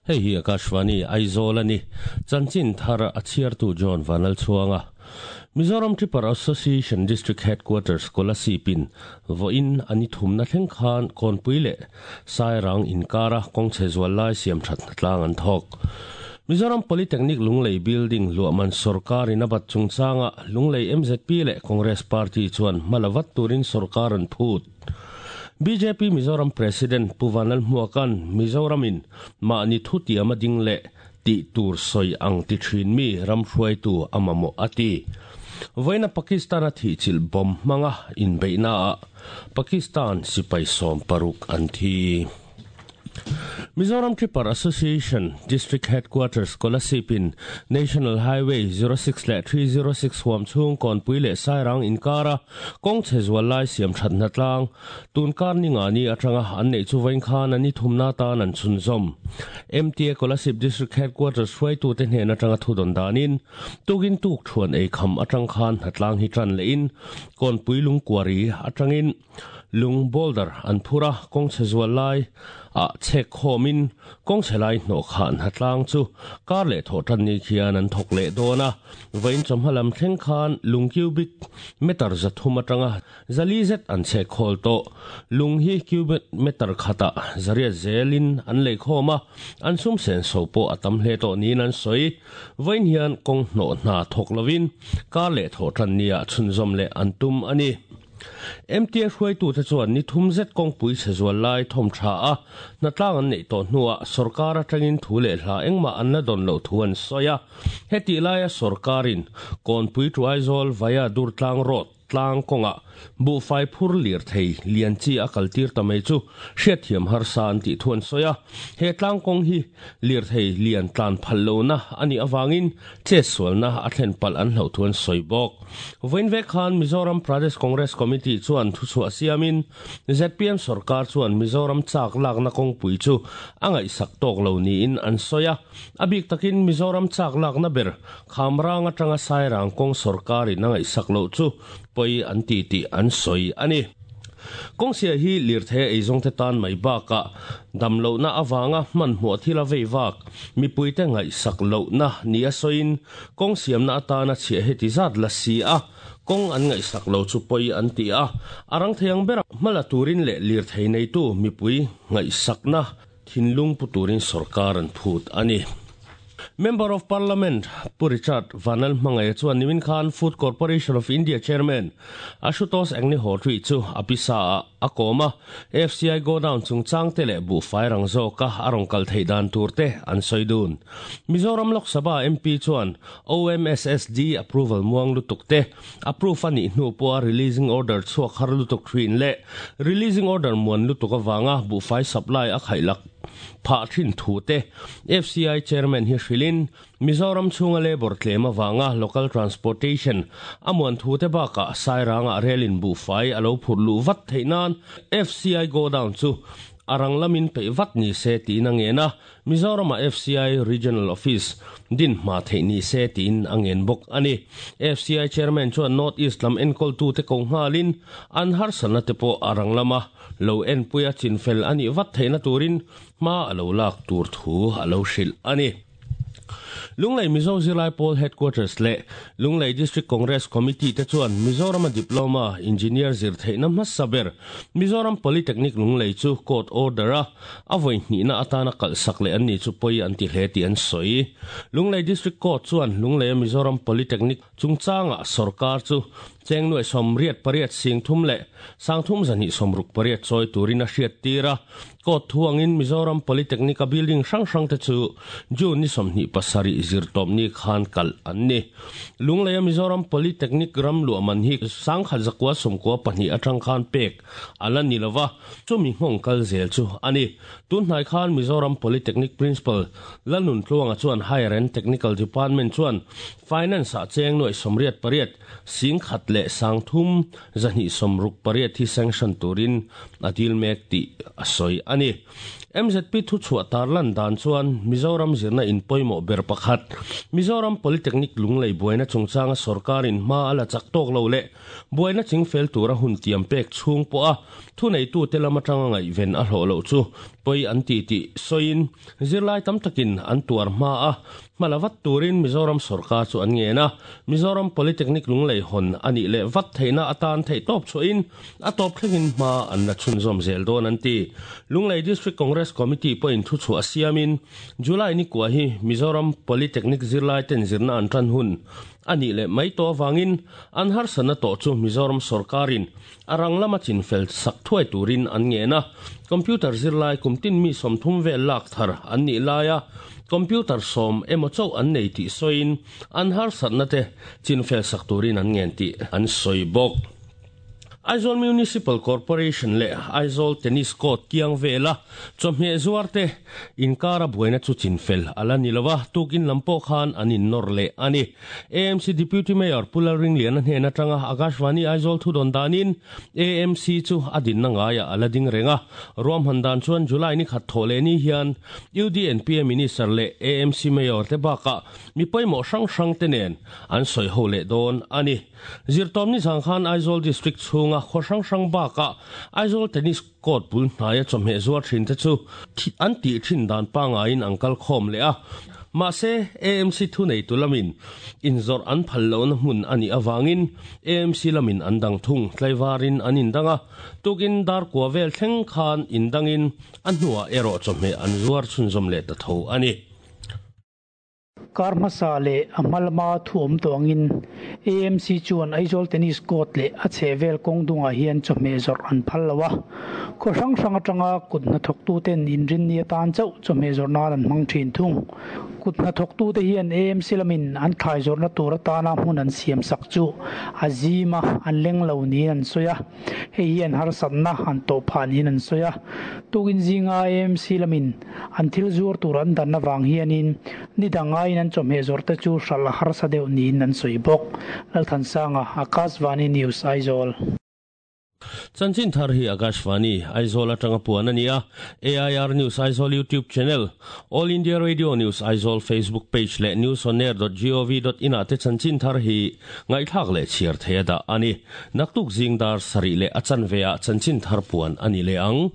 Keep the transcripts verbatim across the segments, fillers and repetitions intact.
Hei hi Akashvani Aizawl ani chanchin thar a chhiartu John Vanal chuanga Mizoram Tripper Association District Headquarters Kolasipin voin ani thumna thleng khan konpui le Sairang inkara kawngchhe zual lai siam that tlang an thawk. Mizoram Polytechnic Lunglei Building luahman sorkar in a bat chungchanga Lunglei M Z P leh Congress Party chuan hmalawat turin sorkar an phut. B J P Mizoram President Pu Vanlalhmuaka'n Mizoramin mahni thutiam a ding leh tih tur sawi ang ti thin mi ram hruaitu a mamawh a ti. Vawiina Pakistan a thihchilh bomb hmanga inbeihnaah Pakistan sipai sawm paruk an thi. Mizoram Tripper Association District Headquarters Kolasipin National Highway zero six leh three zero six huam chhung Kawnpui leh Sairang inkara kawng chhe zual lai siam thatna tlang tunkar ni nga ni atanga an neih chu vawiin khan ani thumna tan an chhunzawm. M T A Kolasib District Headquarters hruaitu te hnen atanga thudawn danin tukin tuk thuan ei kham atang khan hnatlang hi tan lein Kawnpui lungkuari atangin lung boulder an phura kawng chhe zual lai a chek khomin kawng chhe lai hnawh khan hnatlang chu kar leh thaw tan ni khian an thawk leh dawn a. Vawiin chawhma lam thleng khan lung cubic meter zathum atanga zali zet an chhek khawl tawh. Lung hi cubic meter khata zariat zelin an lei khawm a, an sum sen so pawh a tam hle tawh niin an sawi. Vawiin hian kawng hnawh hna thawk lovin kar leh thaw tan nia chhunzawm leh an tum ani. M T A hruaitu te chuan ni thum zet kawngpui chhe zual lai thawm tha a hnatlang an neih tawh hnuah sorkar atangin thu leh hla engmah an la dawn loh thu an sawi a. Heti laia sorkarin Kawnpui to Aizawl via Durtlang Road tlang kawnga buhfai phur lir thei lian chi a kaltir ta mai chu hriatthiam harsa an tih thu an sawi a. He tlang kawng hi lir thei lian tlan phal lohna ani awangin che sualna a thlen palh an hloh thu an sawi bawk. Vawiin vek khan Mizoram Pradesh Congress Committee chuan thuchhuah siamin Z P M sorkar chuan Mizoram chak lakna kawngpui chu a ngaihsak tawk lo niin an sawi a. A bik takin Mizoram chak lakna ber Khamrang atanga Sairang kawng sorkarin a ngaihsak lo chu poi an ti tih an sawi ani. Kawngsia hi lirthei eizawng te tan mai baka damlohna awanga hman hmuah thil a vei vak mipuite ngaihsak lohna ni a sawiin kawng siamna atana chhiah heti zat la si a kawng an ngaihsak lo chu poi an ti a. Arang theiang bera hmala turin leh lirthei neitu mipui ngaihsakna thinlung pu turin sorkar an phut ani. Member of Parliament Pu Richard Vanlalhmangaia chuan nimin khan Food Corporation of India Chairman Ashutosh Agnihotri chu apisa a a kawm a. F C I go down chungchang te leh buhfai rang zawka a rawn kal theih dan tur te an sawi dun. Mizoram Lok Sabha M P chuan O M S S D approval muang lutuk te, approve ani hnu pawha releasing order chhuak har lutuk thin leh releasing order muan lutuk awanga buhfai supply a khailak phah thin thu te F C I chairman hi hrilin Mizoram chhunga labor tlem awanga local transportation amuan thu te baka Sairanga relin buhfai alo phur lu vat theihnan F C I go down chu arang lamin pe vat ni se tin angena Mizoram a F C I Regional Office din ma thei ni se tin angen bok ani. F C I chairman chuan North East lam enkol tu te ko ngalin an har sana te po arang lama lo en puia chinfel ani vat theina turin ma alo lak tur thu alo hril ani. Lunglei Mizo Zirlai Pawl Headquarters le Lunglei District Congress Committee te chuan Mizoram a Diploma Engineer zir theihna hmasa ber Mizoram Polytechnic Lunglei chu court order a a vawi hnihna atana kalhsak leh an ni chu pawi an ti hle tih an sawi. Lunglei District Court chuan Lunglei Mizoram Polytechnic chungchanga sarkar chu cheng nuai som riat pariat sing thum le sang thum zani somruk pariat choi turin a hriat tira. Court thuangin Mizoram Polytechnic a building hrang hrang te chu June ni somhnih pasarih zir tawp ni khan kal an ni. Lunglei a Mizoram Polytechnic ram luah man hi sangkhat zakua sawmkua pahnih atang khan pek ala ni lova, chumi nghawng kal zel chu ani. Tun hnai khan Mizoram Polytechnic Principal Lalnun Tluanga chuan Higher and Technical Department chuan finance a cheng nuai somriat pariat sing khat le sang thum zahnih somruk pariat hi sanction turin a dil mek ti a sawi ani. M Z P thu chhuah tarlan dan chuan Mizoram zirna in pawimawh ber pakhat Mizoram Polytechnic Lunglei buaina chungchanga sarkarin hma ala chak tawk lo leh buaina chingfel tura hun tiam pek chhung pawh a thu neitu te lam atanga ngaihven a hlawh loh chu Poi an ti ti soin zirlai tam takin an tuar ma a malavat turin Mizoram sarkar chu an nge na Mizoram Polytechnic Lunglei hon ani le vat theina atan thei top chuin a top thlengin ma an la chhunzawm zel dawn an ti Lunglei District Congress Committee point thu chu asiamin July ni kwa hi Mizoram Polytechnic zirlai ten zirna an tran hun ani le mai to wangin an har sana to chu Mizoram sarkarin arang lama chin fel sak thuai turin an nge na computer zirlai kumtin mi somthum ve lak thar an ni laia computer som emo chau an nei ti soin an har satna te chin fel sak turin an ngen ti an soi bok Aizawl Municipal Corporation le Aizawl Tennis Court kiang vela chawhmeh zuarte inkara buaina chu chinfel ala nilowa tukin lampo khan anin nor le ani A M C Deputy Mayor Pulal Ringlian hnen atanga Akashvani Aizawl thudon danin A M C chu adin na ngaia ala ding renga ruam handan chuan July ni khat thole ni hian U D N P Minister le A M C Mayor te baka mi poimo sang sang te nen an soi ho le don ani zirtom ni zangkhan Aizawl District chunga khosang sang baka Aizawl Tennis Court bul hnaya chawhmeh zuar thin te chu an ti thin dan panga in angkal khom le a ma se A M C thu nei tulamin inzor an phallo na hmun ani awangin A M C lamin an dang thung tlaiwarin an indanga tukin dar kwa vel thleng khan indangin an hnuah erawh chawhmeh an zuar chhunzawm leh ta tho ani Karmasa le amalma thuam tawangin A M C chuan Aizawl Tennis Court le a chhevel kawngdungah hian chawhmeh zawrh an phal lo a khaw hrang hrang atanga kut hnathawk tu ten inrin ni atan chauh chawhmeh zawrh nan an hmang thin thung kut hnathawk tu te hian A M C lamin an thlai zawrhna tur atana hmun an siam sak chu a zima an leng lo niin an sawi a hei hian harsatna an tawh phah niin an sawi a tukin zinga A M C lamin an thil zuar tur an danna vang hianin ni dangain an chawhmeh zawrh te chu hral harsa deuh niin an sawi bawk Lalthansanga Akashvani News Aizawl Chanchin thar hi Akashvani Aizawl atanga puan ania A I R News Aizawl YouTube channel All India Radio News Aizawl Facebook page le newsonair dot gov dot in ate chanchin thar hi ngaithak le chiar theada ani naktuk zingdar sari le achan vea chanchin thar puan ani le ang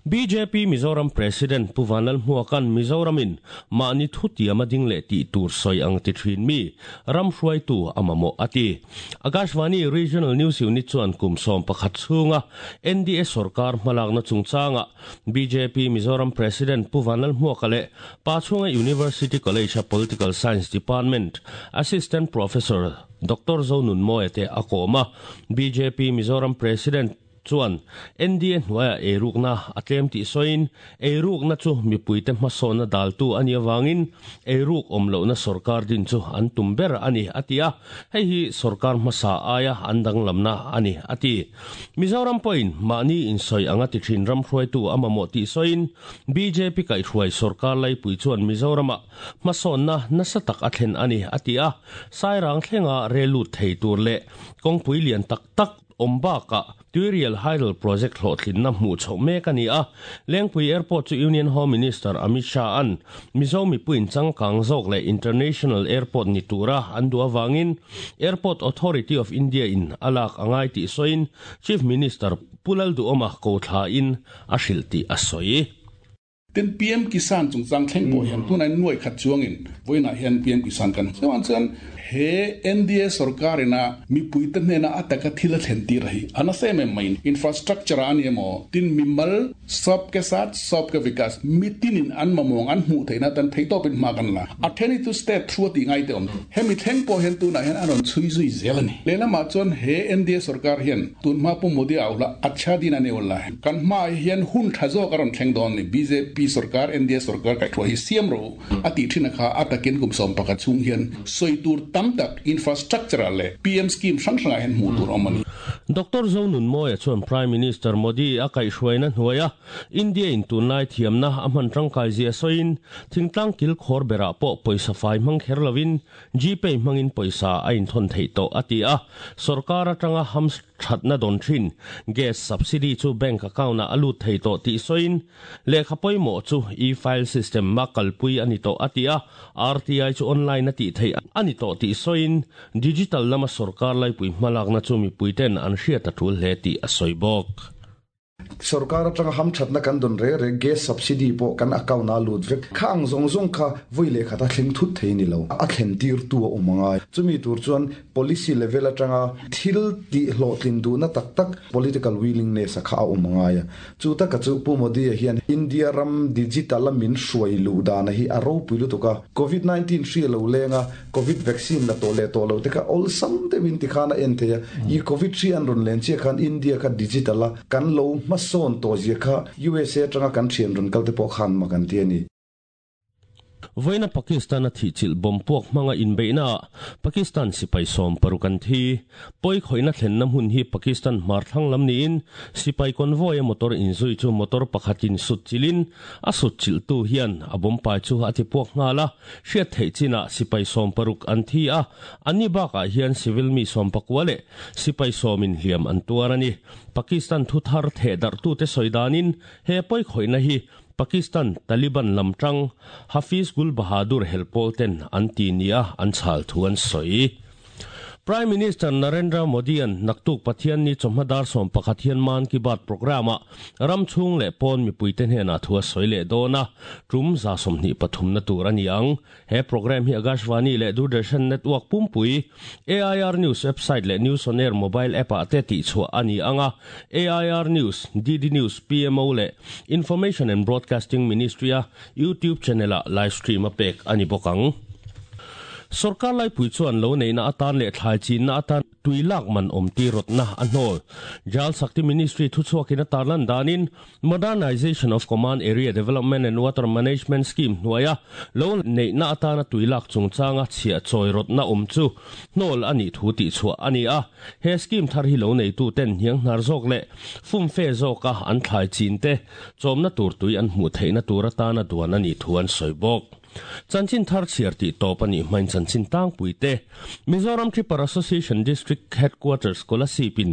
B J P Mizoram President Puvanal Muakan Mizoramin mani thutia mading le ti tur soi ang ti thin mi ram hruai tu amamo ati Akashvani Regional News Unit chuan kum som pakhat chunga N D A sarkar hmalakna chungchanga B J P Mizoram President Puvanal Muakale Pachunga University College of Political Science Department Assistant Professor Doctor Zonun Moete akoma B J P Mizoram President chuan N D A hnuaia eirukna a tlem tih sawiin eirukna chu mipuite hmasawnna daltu ani awangin eiruk awm lohna sarkar din chu an tum ber ani a ti a hei hi sarkar hmasa aia an danglamna ani a ti Mizoram pawhin mahni insawi anga ti thin ram hruaitu a mamawh tih sawiin B J P kaihhruai sarkar laipui chuan Mizoramah hmasawnna nasa tak a thlen ani a ti a sairang thlenga relut thei tur leh kawngpui lian tak tak ombaka Tuirial Hydel Project hlawhtlin na hmuh chhoh mek ani a Lengpui Airport chu Union Home Minister Amit Shah an Mizo mipuiin changkang zawk leh International Airport ni tura an duh awangin Airport Authority of India in alak angai tih sawiin Chief Minister Pulal Duhoma ko thla in a hrilh tih a sawi Ten P M Kisan chung chang thleng pawh hian tunah nuai khat chuangin vawiinah hian P M Kisan kan chuan chuan he N D A sarkarina mipuite hnena ataka thil a thlen tir hi ana sem em main infrastructure ani emaw tin mimal sab ke saath sab ke vikas mitinin an mamong an hmuh theihna tan thei tawpin hma kan la a theni tu state thu ti ngai te awm hemi thleng pawh hian tunah hian an rawn chhui zui zel ani lehlamah chuan he N D A sarkar hian tun hma pu Modi a ula acha din ani ula kan hma hian hun tha zawk a rawn thleng dawn ni B J P sarkar N D A sarkar kai thua hi siam ro ati thina kha atakin kum som pakhat chung hian soi tur tam tak infrastructure le P M scheme sang sanga hen mu tur omani Doctor Zonun Moya chuan Prime Minister Modi a kaihhruaina hnuaia India in tunlai thiamna a hman tangkai zia sawiin thingtlang kil khawr berah pawh pawisa fai hmang kher lovin GPay hmangin pawisa a inthawn theih tawh a ti a sarkar atanga ham thatna dawn thin gas subsidy chu bank account a alut thei tawh tih sawiin lehkha pawimawh chu e-file system ma kalpui ani tawh a ti a R T I chu online a tih theih ani tawh tih sawiin digital lama sarkar laipui hmalakna chu mipuiten an hriat a tul hle tih a sawi bawk. Sarkar atanga ham thatna kan don re re gas subsidy po kan account na lut vek khang zong zong kha voile khata thleng thut thei ni lo a thlen tir tu a umanga chumi tur chuan policy level atanga thil ti hlo tlin du na tak tak political willingness a kha a umanga ya chu ta ka chu Pu Modi hian India ram digital min hruai lu dana hi a ro puilu tuka covid nineteen hri lo lenga covid vaccine la to le to lo te ka all sam te win ti khana en the ya i covid hri an ron len che khan India kha digital a kan lo ma son to zia kha U S A tanga kan thian ron kal te po khan ma kan ti ani. Voina Pakistan a thi chil bom puak manga in beina Pakistan sipai som parukan thi poi khoina thlen nam hun hi Pakistan mar thang lam ni in sipai convoy motor in zui chu motor pakhatin sut chilin a sut chil tu hian a bom pai chu ati puak ngala hriat thei china sipai som paruk an thi a ani ba ka hian civil mi som pakwale sipai somin hliam an tuarani Pakistan thu thar the dar tu te soidanin he poi khoina hi Pakistan Taliban lamtang Hafiz Gul Bahadur helpolten antinia anchal thuan soi. Prime Minister Narendra Modi an naktuk Pathian ni chomhadar som pakhathian man ki baat programa ramchhung le pon mi puiten he na thua soile dona tum za somni pathum na tur ani ang he program hi Akashvani le Doordarshan network pumpui A I R News website le News on Air mobile app a te ti chua ani anga A I R News D D News P M O le Information and Broadcasting Ministry a YouTube channel a live stream a pek ani bokang. Sarkar lai pui chuan lo nei na atan le thlai chin na atan tuilak man om ti rot na anhol Jal Shakti Ministry thu chuakin tarlan danin Modernization of Command Area Development and Water Management Scheme hnuaia lo nei na atana tuilak chungchanga chhia choi rot na om chu hnol ani thu ti chua ani a he scheme thar hi lo nei tu ten hiang hnar zawk le fum fe zawka an thlai chin te chawmna tur tui an hmu theihna tur atana duan ani thu an sawi bawk. Chanchin thar chiar ti top ani main chanchin tang puite Mizoram Tripper Association District Headquarters Kolasipin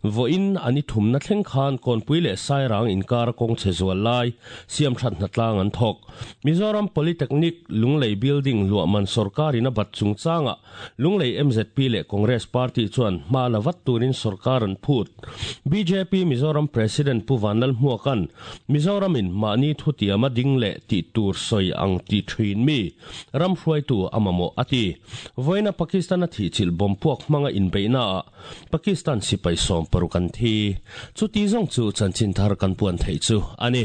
voin ani thumna thleng khan konpui le sairang inkar kong chezual lai siam that na tlang an thok Mizoram Polytechnic Lunglei Building luaman sarkarina bat chungchanga Lunglei M Z P le Congress Party chuan ma lawat turin sarkar an phut B J P Mizoram President Pu Vanlal Hmuakan Mizoramin mani thutiama ding le ti tur soi ang ti thin mi ram hruai tu amamo ati voina Pakistan a thi chil bom puak manga in beina Pakistan sipai som parukan thi chu ti zong chu chanchin thar kan puan thei chu ani.